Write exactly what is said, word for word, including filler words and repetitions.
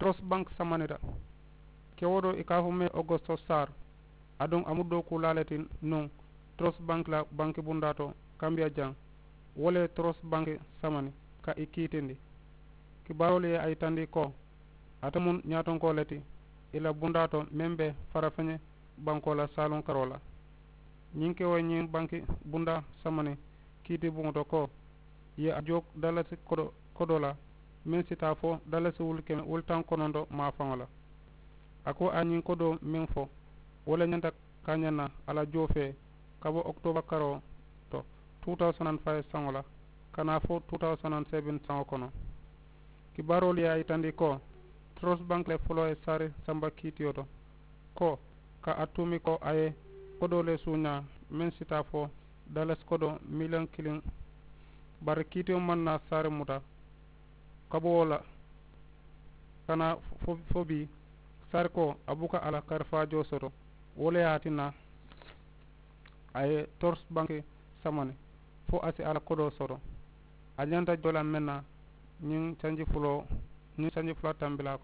Trust bank samanita. Kewoo to i ka a fo mee ogosto sar. Aduŋ a mu dookuulaa le ti nuŋ trust bank la banki bundaa to kambiya jaŋ. Wo le ye trust banki samani ka i kiitindi. Kibaaroolu ye a yitandi ko ate mu ñaatonkoo le ti i la bundaa to meŋ be farafeñe bankoo la saaluŋ karoo la. Ñiŋ kewoo ye ñiŋ banki bundaa samani kiiti buŋo to ko i ye a joo dalasi kodoo la meŋ si taa fo dalasi wulu keme wulu taŋ kononto maafaŋo la. A ko a ye ñiŋ kodoo meŋ fo wo le ñanta ka ñaŋ na a la joo fee ka bo okitooba karoo to two thousand and five saŋo la ka naa fo two thousand and seven saŋo kono. Kibaaroolu ye a yitandi ko trust bank le foloo ye saari samba kiitiyo to ko ka a tuumi ko a ye kodoo le suuñaa meŋ si taa fo dalasi kodoo miliyoŋ kiliŋ. Bari kiitiyo maŋ naa saari muta ka bo wo la ka naa fo bii saari ko a buka a la karifaajoo soto. Wo le ye a tinna a ye torsi banki samani fo a si a la kodoo soto. A ñanta joo la meŋ na ñiŋ sanji fuloo ñiŋ sanji fula tambilaa.